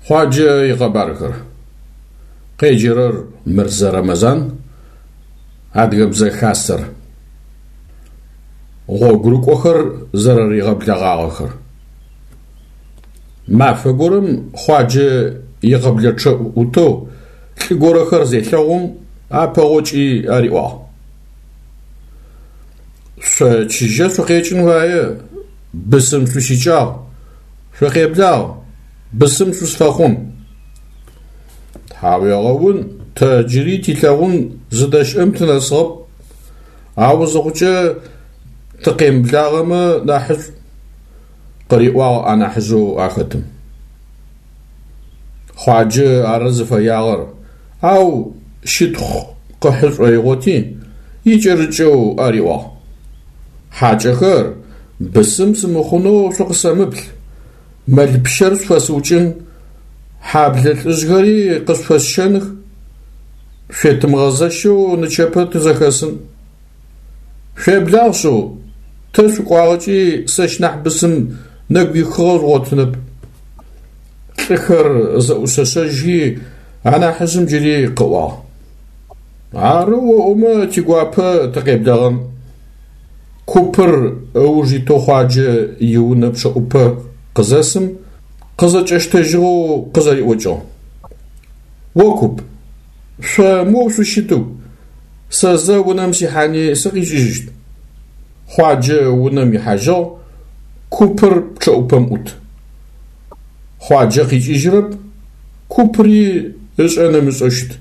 Хъуаджэ икъэбархэр. Къеджэрэр Мырзэ Рэмэзан, Адыгэбзэ Хасэр. Гъогурыкӏохэр зэрэригъэблэгъагъэхэр. Мафэ горэм Хъуаджэ икъэблэчъэӏу ӏутэу лӏы горэхэр зелъэгъум, апэгъокӏи ариӏуагъ. Шъо чыжьэ шъукъекӏын фае, бысым шъуищыкӏагъ, шъукъеблагъ, бысым шъусфэхъун. Тхьауегъэун, тэ джыри тилъэгъун зыдэщыӏэм тынэсыгъэп, ау зыхъукӏэ тыкъемыблагъэмэ нахьышӏу, къыриӏуагъ анахьыжъэу ахэтым. Хъуаджэ ары зыфэягъэр, ау щытхъу къыхьы шӏоигъоти, икӏэрыкӏэу ариӏуагъ. Хьакӏэхэр, бысым сымыхъунэу шъукъысэмыплъ, мэл пщэр шъуфэсыукӏын, хьаблэ лӏыжъхэри къышъуфэсщэных, шъуетымыгъэзэщэу нычэпэ тызэхэсын. Шъуеблагъ шъыу, тэ шъукӏуагъэкӏи сэщ нахь бысым нэгу ихыгъэ жъугъотынэп. Лӏыхэр зэӏушъэшъэжьхи, анахьыжъым джыри къыӏуагъ. Ары оӏомэ, тигуапэ тыкъеблэгъэн. Купыр ыуж итэу Хъуаджэ иунэ пчъэӏупэ къызэсым, къызэкӏэщтэжьыгъэу къызэриӏокӏыгъ. О куп, шъо моу шъущытыгу, сэ зэ унэм сихьани сыкъикӏыжьыщт. Хъуаджэ унэм ихьажьыгъ, купыр пчъэӏупэм ӏут. Хъуаджэ къикӏыжьырэп, купри ышӏэн ымышӏэу щыт.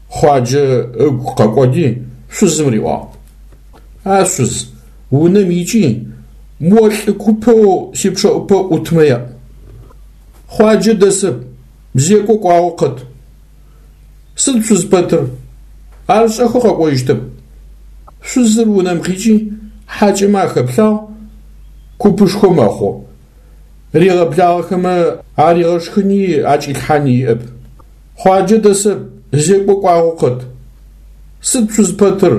Хъуаджэ ыгу къэкӏоди, шъузым риӏуагъ. А шъуз, унэм икӏи, мо лӏы купэу сипчъэӏупэ ӏутмэ яӏу. Хъуаджэ дэсэп, зекӏо кӏуагъэу къэт. Сыд шъузпэтыр? Ар шӏэхэу къэкӏожьыщтэп. Шъузыр унэм къикӏи, хьакӏэмэ ахэплъагъ, купышхо мэхъу. Ригъэблагъэхэмэ аригъэшхыни акӏилъхьани иӏэп. Хъуаджэ дэсэп, зекӏо кӏуагъэу къэт. Сыд шъузпэтыр?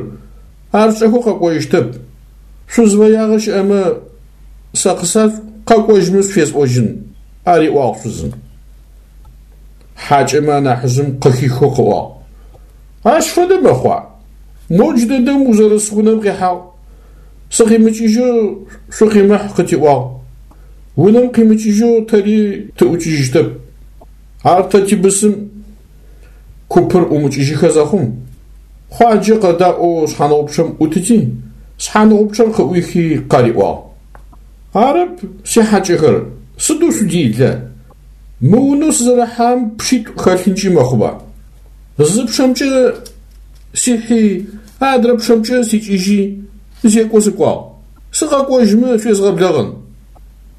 Ар шӏэхэу къэкӏожьыщтэп. Шъузфэягъэ щыӏэмэ, сэ къысашӏу, къэкӏожьмэ шъуфесӏожьын, ариӏуагъ шъузым. Хьакӏэмэ анахьыжъым къыхихэу къыӏуагъ. Ащ фэдэ мэхъуа? Моу джыдэдэм узэрыс унэм къихьагъ. Сыкъимыкӏыжьэу шъукъимыхь къытиӏуагъ. Унэм къимыкӏыжьэу тэри тыӏукӏыжьыщтэп. Ар тэ тибысым. Купыр ӏумыкӏыжьыхэ зэхъум, Хъуаджэ къэдаӏоу шъхьаныгъупчъэм ӏутыти, шъхьаныгъупчъэр къыӏуихи къариӏуагъ. Арэп, сихьакӏэхэр, сыдэу шъуделэ? Мы унэу сызэрыхьагъэм пчъитӏу хэлъынкӏи мэхъуба? Зы пчъэмкӏэ сихьи, адрэ пчъэмкӏэ сикӏыжьи, зекӏо сыкӏуагъ. Сыкъэкӏожьмэ шъуезгъэблэгъэн.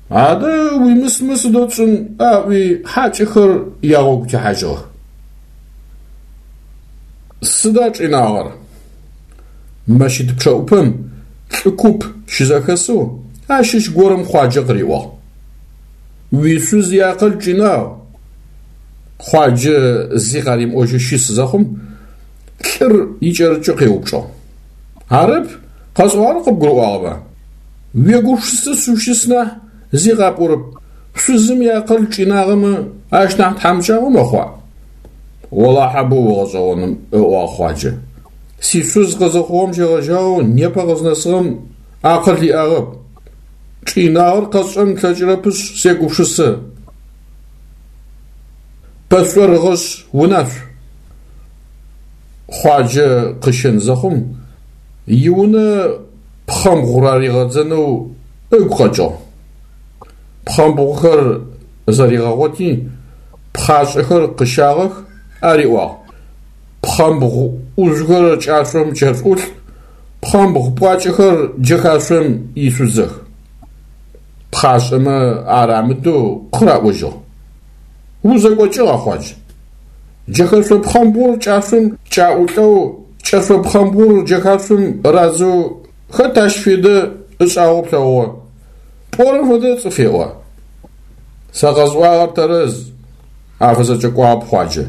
Адэ уимысмэ сыдэу тшӏын, аӏуи хьакӏэхэр ягъогу техьажьыгъэх. Сыда чӏинагъэр? Мэщыт пчъэӏупэм лӏы куп щызэхэсэу ащыщ горэм Хъуаджэ къыриӏуагъ. Уишъуз иакъыл чӏинагъ. Хъуаджэ зи къаримыӏожьэу щыс зэхъум, лӏыр икӏэрыкӏэу къеупчӏыгъ. Арэп, къэсӏуагъэр къыбгурыӏуагъэба? Уегупшысэшъ ущыс нахь, зи къапӏорэп. Шъузым иакъыл чӏинагъэмэ, ащ нахь тхьамыкӏагъо мэхъуа? Олахьэ боу угъэшӏэгъоным, ыӏуагъ Хъуаджэ. Сишъуз къызыхъугъэм щегъэжьагъэу непэ къызнэсыгъэм акъыл иӏагъэп. Чӏинагъэр къэсшӏэн слъэкӏырэпышъ, сегупшысэ. Пэшӏорыгъэшъ унашъу. Хъуаджэ къыщэн зэхъум, иунэ пхъэмбгъу раригъэдзэнэу ыгу къэкӏыгъ. Пхъэмбгъухэр зэригъэгъоти, пхъашӏэхэр къыщагъэх, ариӏуагъ. Пхъэмбгъу ӏужъухэр кӏашъом кӏэшъуӏулӏ, пхъэмбгъу пӏуакӏэхэр джэхашъом ишъудзэх. Пхъашӏэмэ ар амыдэу къыраӏожьыгъ. Узэкӏокӏыгъа, Хъуадж? Джэхэшъо пхъэмбгъур кӏашъом кӏаӏулӏэу, кӏэшъо пхъэмбгъур джэхашъом радзэу хэт ащ федэ ышӏагъэу плъэгъугъэ? Пӏорэм фэдэ цӏыф еӏо. Сэ къэсӏуагъэр тэрэз, афызэкӏэкӏуагъэп Хъуаджэ.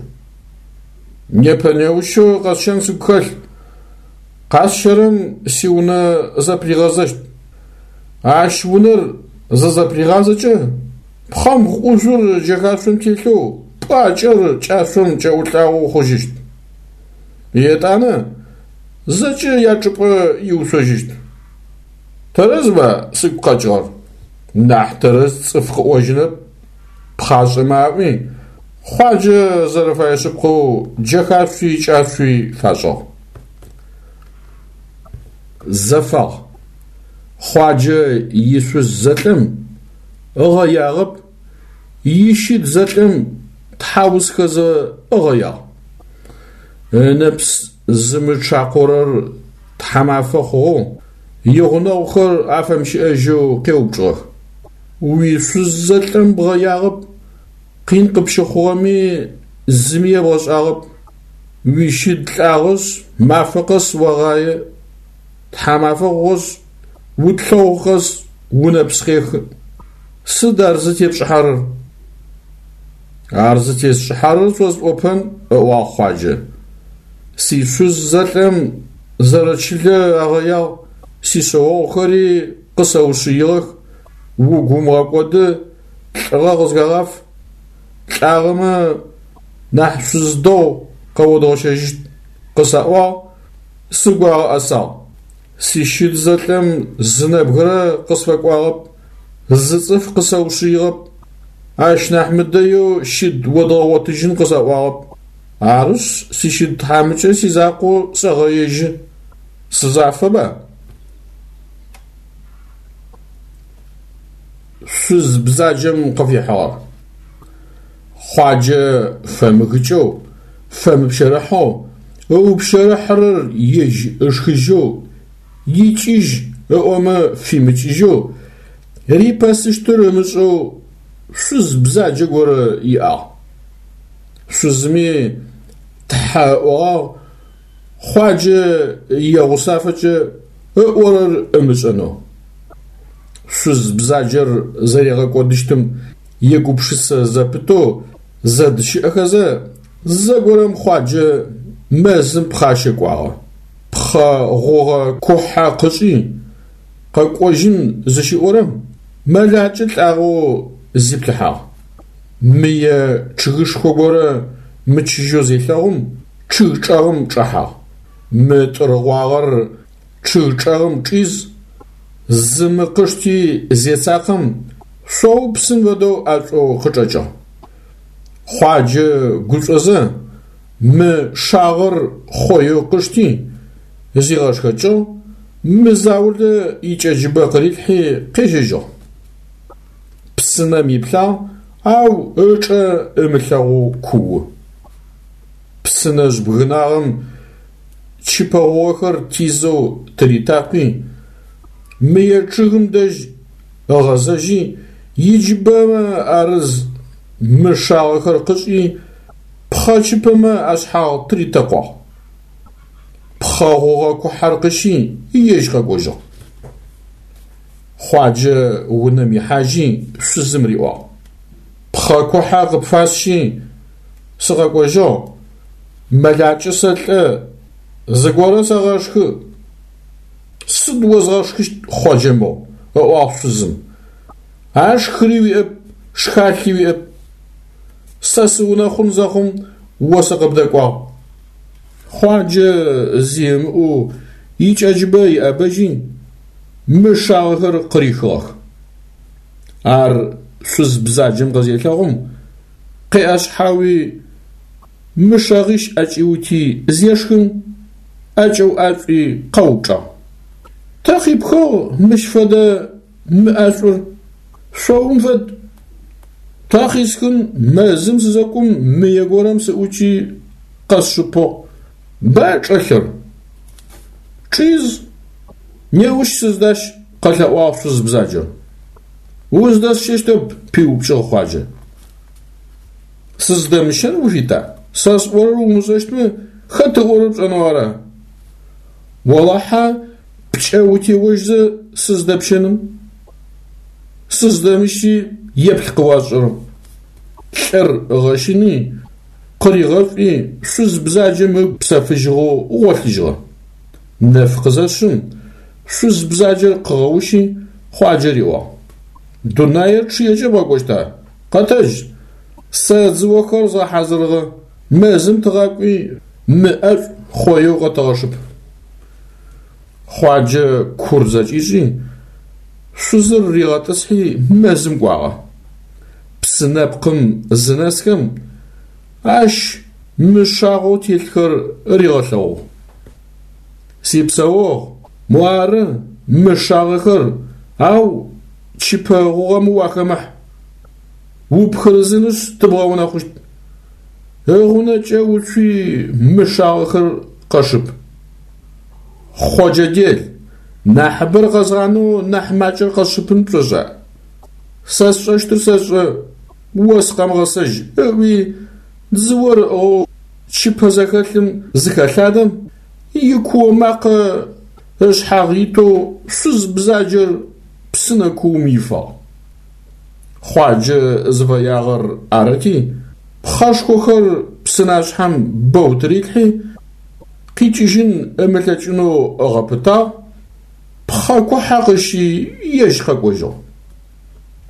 Непэ-неущэу къэсщэн сыгу хэлъ. Къасщэрэм сиунэ зэпригъэзэщт. Ащ унэр зызэпригъазэкӏэ, Пхъэмбгъу ӏужъур джэхашъом телъэу, пӏуакӏэр кӏашъом кӏэӏулӏагъэу хъужьыщт. Етӏанэ зэкӏэ ячӏыпӏэ иуцожьыщт. Тэрэзба сыгу къэкӏыгъэр? Нахь тэрэз цӏыф къыӏожьынэп, пхъашӏэмэ аӏуи, Хъуаджэ зэрэфэе шъыпкъэу джэхашъуи кӏашъуи фашӏыгъ. Зэфагъ. Хъуаджэ ишъуз зэлӏэм ыгъэягъэп, ищыд зэлӏэм тхьаусхэзэ ыгъэягъ. Ынэпс зымычъакъорэр тхьамафэ хъугъэу, игъунэгъухэр афэмыщыӏэжьэу къеупчӏыгъэх. Уишъуз зэлӏэм бгъэягъэп, къин къыпщыхъугъэми зыми ебгъэшӏагъэп. Уищыд лӏагъэшъ, мафэ къэс огъае, тхьамафэ хъугъэшъ, утлъэгъу къэс унэпс къехы. Сыд ар зытепшӏыхьэрэр? Ар зытесшӏыхьэрэр шъосӏопэн, ыӏуагъ Хъуаджэ. Сишъуз зэлӏэм зэрэчылэ агъэягъ, сишъэогъухэри къысэушъыигъэх, угу умыгъэкӏоды, лӏыгъэ къызхэгъаф, лӏагъэмэ нахь шъуз дэгъу къэодгъэщэжьыщт къысаӏуагъ, сыгу агъэӏэсагъ. Сищыд зэлӏэм зы нэбгырэ къысфэкӏуагъэп, зы цӏыф къысэушъыигъэп, ащ нахь мыдэеу щыд одгъэгъотыжьын къысаӏуагъэп. Арышъ, сищыд тхьамыкӏэ сизакъоу сэгъэежьы. Сызафэба? Шъуз бзаджэм къыфихьыгъэр. Хъуаджэ фэмыгыкӏэу, фэмыпщэрыхьэу, ыупщэрыхьырэр ежь ышхыжьэу, икӏыжь ыӏомэ фимыкӏыжьэу, рипэсыщтыр ымышӏэу шъуз бзаджэ горэ иӏагъ. Шъузми тхьэ ыӏогъагъ Хъуаджэ егъусафэкӏэ ыӏорэр ымышӏэнэу. Шъуз бзаджэр зэригъэкӏодыщтым егупшысэ зэпытэу зэдыщыӏэхэзэ, зэгорэм Хъуаджэ мэзым пхъащэ кӏуагъэ. Пхъэ гъугъэ кухьэ къышӏи, къэкӏожьын зыщиӏорэм, мэлакӏэ лӏагъэу зиплъыхьагъ. Мые чъыгышхо горэ мычыжьэу зелъэгъум, чъыг чӏэгъым чӏэхьагъ. Мы тӏыргъуагъэр чъыг чӏэгъым чӏиз, зы мы къышти зецакъэм, шъоупсым фэдэу ӏэшӏоу къычӏэкӏыгъ. Хъуаджэ гушӏозэ, мы шагъэр хъоеу къышти, зигъэшхэкӏыгъ, мы заулэ икӏэджыбэ къырилъхьи къежьэжьыгъ. Псынэм иплъагъ, ау ычӏэ ымылъэгъоу куу. Псынэжъ бгынагъэм чыпэ гъугъэхэр тизэу тыритакъуи, мые чъыгым дэжь ыгъэзэжьи, иджыбэмэ арыз мы шагъэхэр къышӏи, пхъэ чыпэмэ ашъхьагъ тыритэкъуагъ. Пхъэ гъугъэ кухьэр къыщи, ежь къэкӏожьыгъ. Хъуаджэ унэм ихьажьи, шъузым риӏуагъ: Пхъэ кухьэ къыпфасщи, сыкъэкӏожьыгъ, мэлакӏэ сэлӏэ, зыгорэ сэгъэшхы. Сыд озгъэшхыщт, Хъоджэ мыгъу, ыӏуагъ шъузым. Ашхыри уиӏэп, шхалъи уиӏэп. Сэ сыунэхъун зэхъум о сыкъыбдэкӏуагъ. Хъуаджэ зи ымыӏоу икӏэджыбэ иӏэбэжьи, мы шагъэхэр къырихыгъэх. Ар шъуз бзаджэм къызелъэгъум, къеӏэшъхьауи, мы шэгъищ ӏэкӏиути зешхым, ӏэкӏэуӏашӏуи къэупчӏагъ. Тэ къипхыгъ мыщ фэдэ мы ӏэшӏур? Шъоум фэд. Тэ къисхын мэзым сызэкӏум мые горэм сыӏукӏи къэсшыпыгъ. Ба чӏэлъыр? Чӏиз, неущ сыздащ, къэлъэӏуагъ шъуз бзаджэр. Уздэсщэщтэп, пиупкӏыгъ Хъуаджэ. Сыздэмыщэн уфита? Сэ сӏорэр умышӏэщтмэ, хэт ыӏорэр пшӏэнэу ара? Олахьэ пкӏэ утеожьзэ сыздэпщэным. Сыздэмыщи еплъ къыуасшӏэрэм. Лӏыр ыгъэщыни, къыригъэшӏуи, шъуз бзаджэм ыгу псэфыжьыгъэу гъолъыжьыгъэ. Нэф къызэшъым, шъуз бзаджэр къыгъэущи, Хъуаджэ риӏуагъ: Дунаир чъыекӏэ бгъэкӏощта? Къэтэдж, сэ дзыохэр згъэхьазырыгъэ, мэзым тыгъакӏуи, мы ӏэшӏу хъоеу къэтэгъэшып. Хъуаджэ кур зэкӏишӏи, шъузыр ригъэтӏысхьи мэзым кӏуагъэ. Псы нэпкъым зынэсхэм, ащ мы шагъэу телъхэр ригъэлъэгъугъ. Сипсэогъу, муары мы шагъэхэр, ау чыпэ гъугъэм уахэмыхь. Упхырызынышъ тыбгъэунэхъущт. Ыгъунэкӏэ уцуи мы шагъэхэр къэшып. Хъоджэ дел, нахьыбэр къэзгъанэу нахь макӏэр къэсшыпын пшӏошӏа? Сэ сшӏэщтыр сэшӏэ, о сыкъэмыгъэсэжь, ыӏуи дзыор ыӏыгъэу чыпэ зэхэлъым зыхэлъадэм, икуо макъэ ышъхьагъ итэу шъуз бзаджэр псынэ куум ифагъ. Хъуаджэ зыфэягъэр арыти, пхъэшхохэр псынашъхьэм бэу тырилъхьи, къикӏыжьын ымылъэкӏынэу ыгъэпытагъ, пхъэ кухьэ къыщи ежь къэкӏожьыгъ.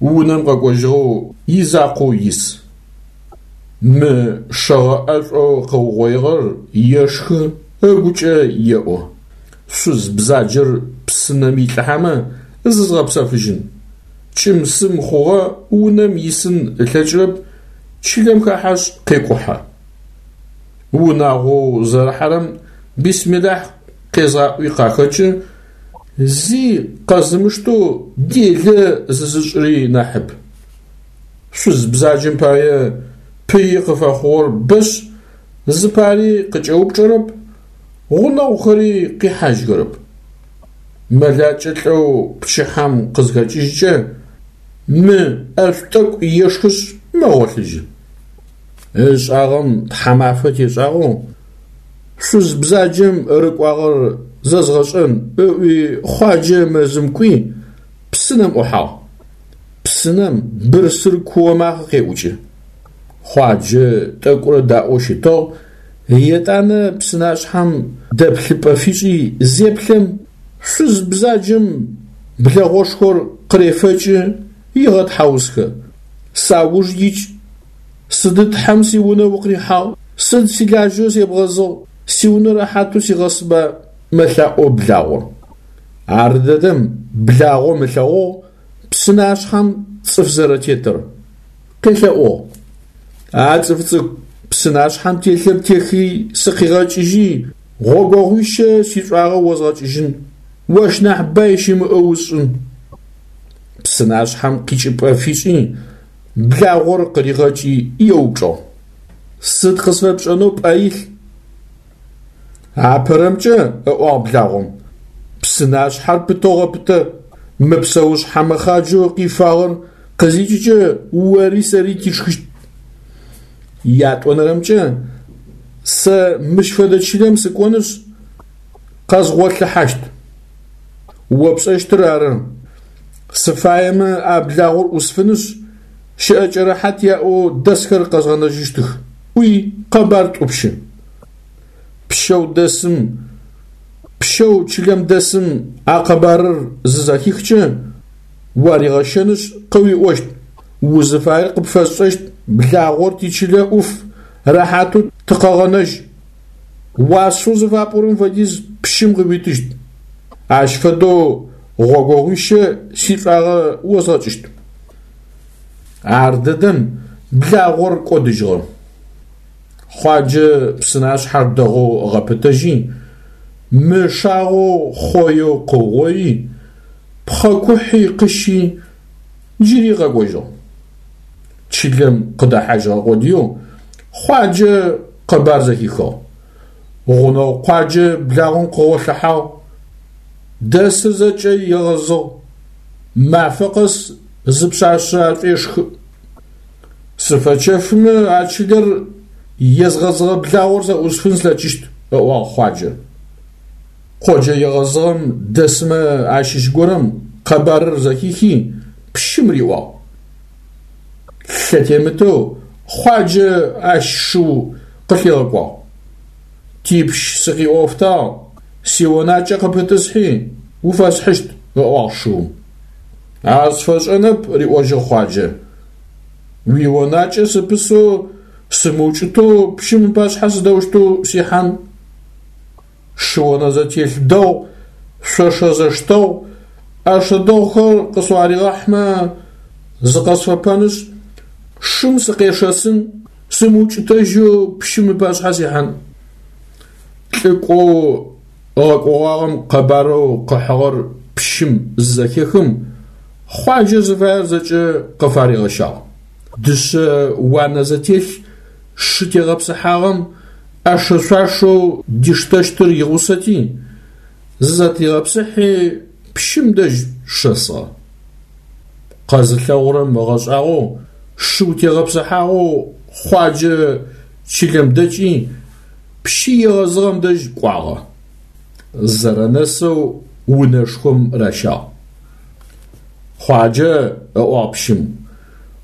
Унэм къэкӏожьыгъэу изакъоу ис. Мы шэгъэ ӏэшӏоу къыугъоигъэр ешхы, ыгукӏэ еӏо: Шъуз бзаджэр псынэм илӏыхьэмэ зызгъэпсэфыжьын. Кӏым-сым хъугъэ унэм исын ылъэкӏырэп, чылэм хэхьэшъ къекӏухьэ. Унагъоу зэрыхьэрэм бисмилахь къезгъаӏуи къахэкӏы, зи къэзымыштэу делэ зызышӏыри нахьыб. Шъуз бзаджэм пае пыи къыфэхъугъэр бэшъ, зыпари къыкӏэупчӏэрэп, гъунэгъухэри къихьажьхэрэп. Мэлакӏэ лӏэу пчыхьэм къызхэкӏыжькӏэ, мы ӏэшӏу тӏэкӏу ешхышъ мэгъолъыжьы. Ышӏагъэм тхьамафэ тешӏагъэу, шъуз бзаджэм рыкӏуагъэр зэзгъэшӏэн ыӏуи Хъуаджэ мэзым кӏуи, псынэм ӏухьагъ. Псынэм бырсыр куо макъэ къеӏукӏы. Хъуаджэ тӏэкӏурэ даӏоу щытыгъ, етӏанэ псынашъхьэм дэплъыпӏэ фишӏи зеплъэм, шъуз бзаджэм блэгъошхор къырефэкӏы, егъэтхьаусхэ. Сауж икӏ, сыды Тхьэм сиунэ укъырихьагъ, сыд силажьэу себгъэзыгъ, сиунэ рэхьатэу сигъэсба, мэлъаӏо благъор. Ардэдэм благъом ылъэгъугъ псынашъхьэм цӏыф зэрэтетыр, къелъэӏугъ. А цӏыф цӏыкӏу, псынашъхьэм телъыр техи сыкъигъэкӏыжьи, гъогогъуищэ сишӏуагъэ озгъэкӏыжьын, ощ нахь бай щымыӏэу усшӏын. Псынашъхьэм къикӏыпӏэ фишӏи, благъор къыригъэкӏи еупчӏыгъ. Сыд къысфэпшӏэнэу пӏэ илъ? Апэрэмкӏэ, ыӏуагъ благъом, псынашъхьэр пытэу гъэпытэ, мы псэушъхьэ мэхъаджэу къифагъэр къызикӏыкӏэ ори сэри тишхыщт. Ятӏонэрэмкӏэ, сэ мыщ фэдэ чылэм сыкӏонышъ, къэзгъолъыхьащт. О пшӏэщтыр ары. Сыфаемэ а благъор ӏусфынышъ, щыӏэкӏэ рэхьат яӏэу дэсхэр къэзгъэнэжьыщтых, ӏуи къэбар тӏупщы. Пщэу дэсым, пщэу чылэм дэсым а къэбарыр зызэхихкӏэ, уаригъэщэнышъ къыуиӏощт, узыфаер къыпфэсшӏэщт, благъор тичылэ ӏуф, рэхьатэу тыкъэгъэнэжь. Уасэу зыфапӏорэм фэдиз пщым къыуитыщт. Ащ фэдэу гъогогъуищэ сишӏуагъэ озгъэкӏыщт. Ардэдэм благъор кӏодыжьыгъэ. Хъуаджэ псынашъхьэр дэгъоу ыгъэпытэжьи, мы шагъэу хъоеу къыугъои, пхъэ кухьи къыщи, джыри къэкӏожьыгъ. Чылэм къыдэхьажьыгъэ къодыеу Хъуаджэ къэбар зэхихыгъ. Гъунэгъу къуаджэ благъом къыгъолъыхьагъ, дэсыр зэкӏэ егъэзыгъ, мафэ къэс зы пшъашъэ ашӏуешхы. Сыфэчэфымэ а чылэр езгъэзыгъэ благъор сэ ӏусфын слъэкӏыщт, ыӏуагъ Хъуаджэ. Къоджэ егъэзыгъэм дэсмэ ащыщ горэм къэбарыр зэхихи, пщым риӏуагъ. Лъэтемытэу Хъуаджэ ащ шыу къылъигъэкӏуагъ. Типщ сыкъиӏофтагъ, сионакӏэ къыпытӏысхьи, уфэсхьыщт, ыӏуагъ шыум. Ар сфэшӏэнэп, риӏожьыгъ Хъуаджэ. Уионакӏэ сыпысэу сымыукӏытэу пщым ыпашъхьэ сыдэущтэу сихьан? Шы онэзэтелъ дэгъу, шъошэ зэштэгъу, ӏэшэ дэгъухэр къысфаригъэхьмэ, зыкъэсфэпэнышъ, шым сыкъешэсын, сымыукӏытэжьэу пщым ыпашъхьэ сихьан. Лӏыкӏоу ыгъэкӏогъагъэм къэбарэу къыхьыгъэр пщым зызэхехым, Хъуаджэ зыфаер зэкӏэ къыфаригъэщагъ. Дышъэ уанэ зэтелъ шы тегъэпсыхьагъэм ӏэшэ-шъуашэу диштэщтыр игъусэти, зызэтригъэпсыхьи пщым дэжь шэсыгъэ. Къэзылъэгъурэм ыгъэшӏагъоу, шыу тегъэпсыхьагъэу Хъуаджэ чылэм дэкӏи, пщы егъэзыгъэм дэжь кӏуагъэ. Зэрэнэсэу унэшхом ращагъ. Хъуаджэ, ыӏуагъ пщым,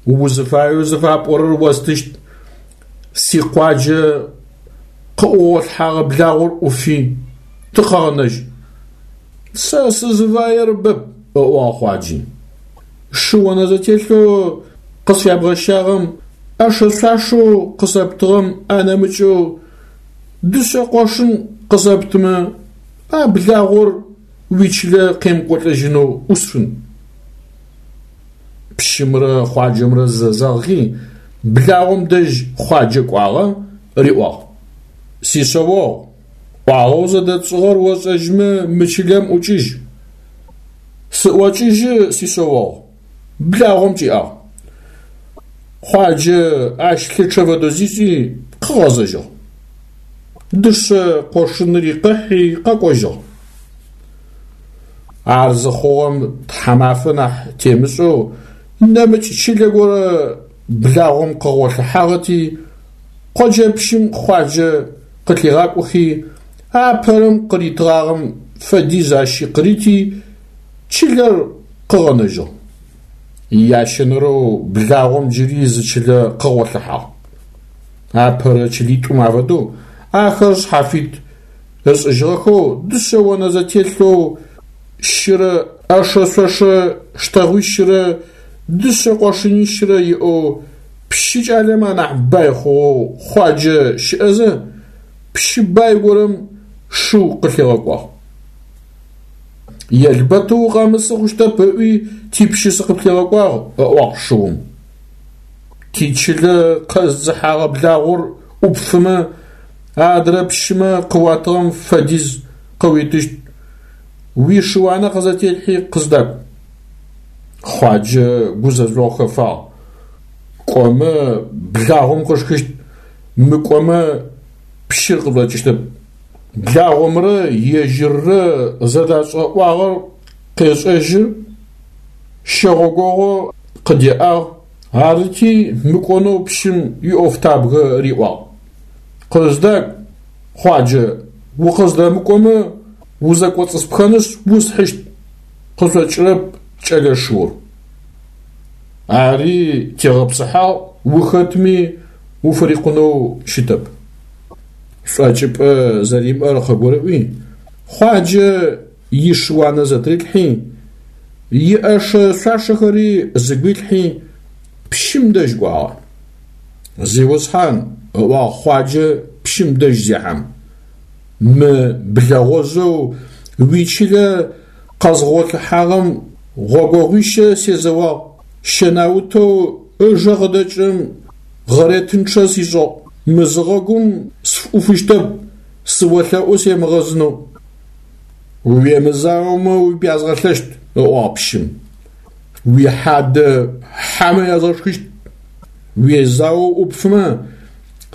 узыфаеу зыфапӏорэр остыщт, сикъуаджэ къыӏугъолъхьагъэ благъор ӏуфи, тыкъэгъэнэжь. Сэ сызыфаер бэп, ыӏуагъ Хъуаджи. Шы онэзэтелъэу къысфябгъэщагъэм, ӏэшэ-шъуашэу къысэптыгъэм анэмыкӏэу дышъэ къошын къысэптымэ, а благъор уичылэ къемыкӏолӏэжьынэу ӏусфын. Пщымрэ Хъуаджэмрэ зэзэгъхи, благъом дэжь Хъуаджэ кӏуагъэ, риӏуагъ: Сишъэогъу, ӏуагъэу зэдэтшӏыгъэр ошӏэжьмэ мы чылэм ӏукӏыжь. Сыӏокӏыжьы, сишъэогъу, благъом кӏиӏагъ. Хъуаджэ ащ лъычъэ фэдэу зишӏи, къыгъэзэжьыгъ. Дышъэ къошынри къыхьи къэкӏожьыгъ. Ар зыхъугъэм тхьамафэ нахь темышӏэу нэмыкӏ чылэ горэ благъом къыгъолъыхьагъэти, къоджэпщым Хъуаджэ къылъигъакӏохи, апэрэм къыритыгъагъэм фэдиз ащи къырити, чылэр къыгъэнэжьыгъ. Ящэнэрэу благъом джыри зы чылэ къыгъолъыхьагъ. Апэрэ чылитӏум афэдэу ахэр шъхьафит ышӏыжьыгъэхэу дышъэ онэ зэтелъэу щырэ ӏэшэ-шъошэ штэгъуищырэ дышъэ къошынищырэ иӏэу пщы кӏалэмэ анахь бай хъугъэу Хъуаджэ щыӏэзэ, пщы бай горэм шыу къылъигъэкӏуагъ. Елбэтэу укъэмысы хъущтэп ыӏуи типщы сыкъыплъигъэкӏуагъ, ыӏуагъ шыум. Тичылэ къэздзыхьагъэ благъор ӏупфымэ, адрэ пщымэ къыуатыгъэм фэдиз къыуитыщт. Уишыуанэ къызэтелъхьи къыздакӏу. Хъуаджэ гузэжъогъу хэфагъ. Кӏомэ, благъом къышхыщт, мыкӏомэ, пщыр къышӏокӏыщтэп. Благъомрэ ежьыррэ зэдашӏыгъэ ӏуагъэр къешӏэжьы, щэгъогогъо къыдеӏагъ, арыти мыкӏонэу пщым иӏофтабгэ риӏуагъ. Къыздакӏу, Хъуаджэ, укъыздэмыкӏомэ, узэкӏоцӏыспхэнышъ усхьыщт, къышӏокӏырэп кӏэлэ шыур. Ари тегъэпсыхьагъ, ухэтми уфырикъунэу щытэп. Шӏокӏыпӏэ зэримыӏэр къыгурыӏуи, Хъуаджэ ишыуанэ зэтырилъхьи, иӏэшэ-шъуашэхэри зыгуилъхьи, пщым дэжь кӏуагъэ. Зиусхьан, ыӏуагъ Хъуаджэ пщым дэжь зехьэм, мы блэгъожъэу уичылэ къэзгъолъыхьагъэм гъогогъуищэ сезэуагъ, щэнаутэу ыжэ къыдэкӏырэм гъэретынчъэ сишӏыгъ. Мызыгъэгум сфыӏуфыщтэп, сыолъэӏу семыгъэзынэу. Уемызаомэ упязгъэлъэщт, ыӏуагъ пщым. Уихьадэ хьэмэ язгъэшхыщт. Уезаоу ӏупфымэ,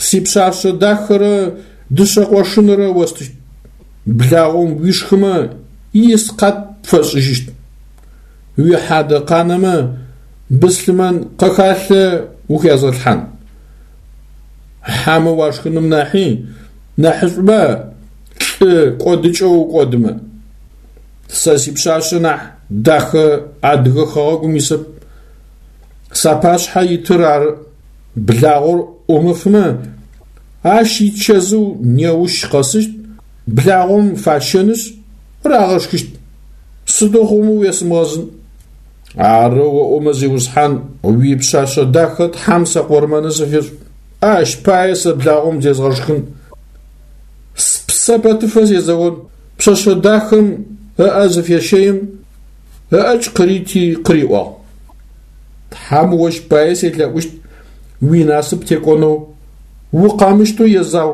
сипшъашъэ дахэрэ дышъэ къошынрэ остыщт. Благъом уишхымэ, искъат пфэсшӏыжьыщт. Уихьадэ къанэмэ, быслъымэн къэхалъэ ухязгъэлъхьан. Хьэмэ уашхыным нахьи нахьышӏуба лӏы кӏодыкӏэу укӏодымэ. Сэ сипшъашъэ нахь дахэ адыгэ хэгъэгум исэп. Сапашъхьэ итыр ары. Благъор ӏумыфымэ, ащ ичэзыу неущ къэсыщт, благъом фащэнышъ, рагъэшхыщт. Сыдэу хъуми уесымыгъэзын. Арэу оӏомэ, зиусхьан, уипшъашъэ дахэ Тхьэм сэ къурмэны сыфишӏ. Ащ пае сэ благъом зезгъэшхын. Спсэ пэтыфэ сезэон. Пшъэшъэ дахэм ыӏэ зыфещэим, ыӏэкӏ къырити къыриӏуагъ. Тхьэм ощ пае селъэӏущт уинасып текӏонэу, укъэмыщтэу езау.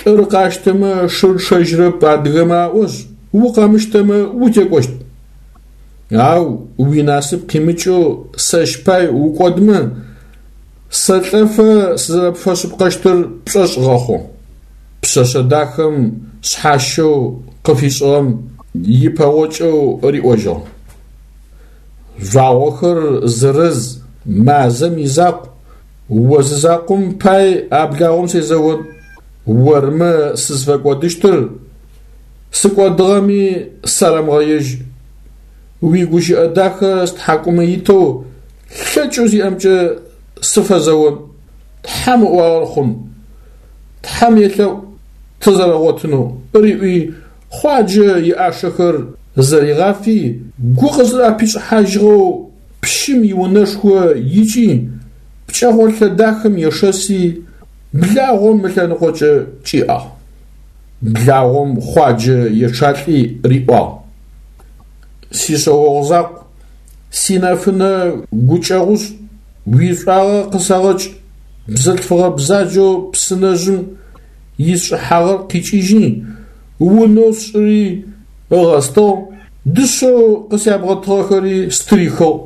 Лӏыр къащтэмэ шыр чъэжьырэп адыгэмэ аӏошъ, укъэмыщтэмэ утекӏощт. Ау уинасып къимыкӏэу сэщ пай укӏодмэ, сэлӏэфэ сызэрэпфэшъыпкъэщтыр пшӏошъ гъэхъу. Пшъэшъэ дахэм шъхьащэу къыфишӏыгъэм ипэгъокӏэу риӏожьыгъ. Жъуагъохэр зырыз, мазэм изакъу, о зызакъом пай а благъом сезэон. Ормэ сызфэкӏодыщтыр, сыкӏодыгъэми сэрэмыгъэежь. Уигущыӏэ дахэ стхьакӏумэ итэу лъэкӏэу сиӏэмкӏэ сыфэзэон. Тхьэм ыӏуагъэр хъун. Тхьэм елъэӏу тызэрэгъотынэу, риӏуи, Хъуаджэ иӏашэхэр зэригъафи, гу къызыӏэпишӏыхьажьыгъэу пщым иунэшхо икӏи, пкӏэгъолъэ дахэм ешэси, благъом ылъэныкъокӏэ кӏиӏагъ. Благъом Хъуаджэ ечъалӏи риӏуагъ. Сишъэогъу закъу, синэфынэ гукӏэгъушӏ, уишӏуагъэ къысэгъэкӏ, бзылъфыгъэ бзаджэу псынэжъым исшӏыхьагъэр къикӏыжьи, унэу сшӏыри ыгъэстыгъ, дышъэу къысябгъэтыгъэхэри стырихыгъ.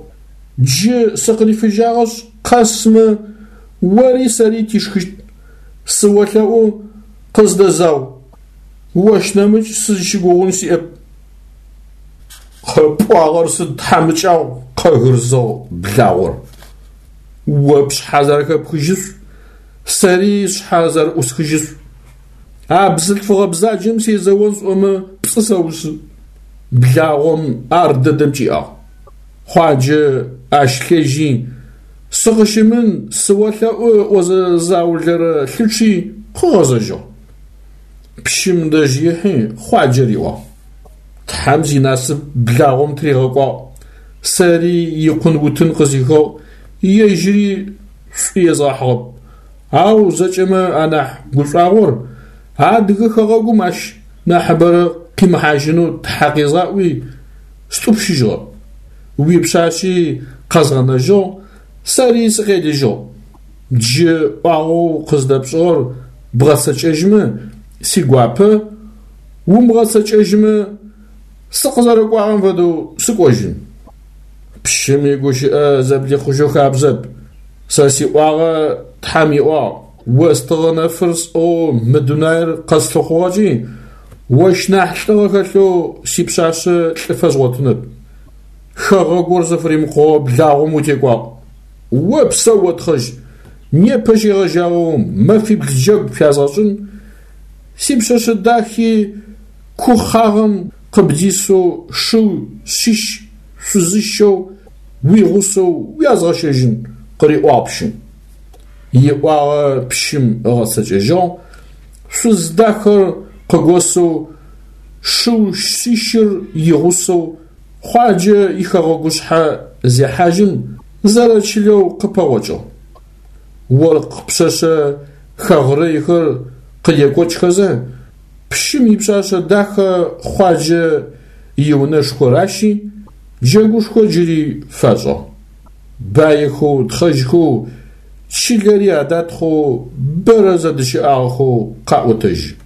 Джы сыкъырифыжьагъэшъ, къэсмэ, ори сэри тишхыщт. Сыолъэӏу, къыздэзау, ощ нэмыкӏ сызщыгугъын сиӏэп. Къэпӏуагъэр сыд тхьамыкӏагъу, къэгырзыгъ благъор. О пшъхьэ зэрэхэпхыжьышъу, сэри сшъхьэ зэрэӏусхыжьышъу. А бзылъфыгъэ бзаджэм сезэон сӏомэ пцӏы сэусы. Благъом ар дэдэм кӏиӏагъ. Хъуаджэ ащ лъежьи, сыкъыщымын, сыолъэӏу ыӏозэ заулэрэ лъычъи къыгъэзэжьыгъ. Пщым дэжь ихьи, Хъуаджэ риӏуагъ. Тхьэм зинасып благъом тыригъэкӏуагъ, сэри икъун утын къызихыгъ, ежьыри шӏу езгъэхьыгъэп. Ау зэкӏэмэ анахь гушӏуагъор адыгэ хэгъэгум ащ нахьыбэрэ къимыхьажьынэу Тхьэ къезгъаӏуи, стӏупщыжьыгъэ. Уипшъашъи къэзгъэнэжьыгъ, сэри сыкъелыжьыгъ. Джы ӏуагъэу къыздэпшӏыгъэр бгъэцэкӏэжьмэ, сигуапэ, умыгъэцэкӏэжьмэ, сыкъызэрэкӏуагъэм фэдэу сыкӏожьын. Пщым игущыӏэ зэблихъужьэу хабзэп. Сэ сиӏуагъэ Тхьэм иӏуагъ, остыгъэ нэфыр сӏыгъэу мы дунаир къэслъыхъугъэкӏи, ощ нахь лӏыгъэ хэлъэу сипшъашъэ лӏы фэзгъотынэп. Хэгъэгур зыфыримыкъугъэ благъом утекӏуагъ. Опсэу, отхъэжь, непэ щегъэжьагъэу мэфибл джэгу пфязгъэшӏын, сипшъэшъэ дахи ку хъагъэм къыбдисэу шыу шъищ шъузыщэу уигъусэу уязгъэщэжьын, къыриӏуагъ пщым. Иӏуагъэ пщым ыгъэцэкӏэжьыгъ, шъуз дахэр къыгосэу шыу шъищыр игъусэу Хъуаджэ ихэгъэгушъхьэ зехьажьым зэрэчылэу къыпэгъокӏыгъ. Оркъ пшъэшъэ хэгърэйхэр къыдекӏокӏхэзэ, пщым ипшъашъэ дахэ Хъуаджэ иунэшхо ращи, джэгушхо джыри фашӏыгъ. Баихэу, тхъэжьхэу, чылэри адатхъэу бэрэ зэдыщыӏагъэхэу къаӏотэжьы.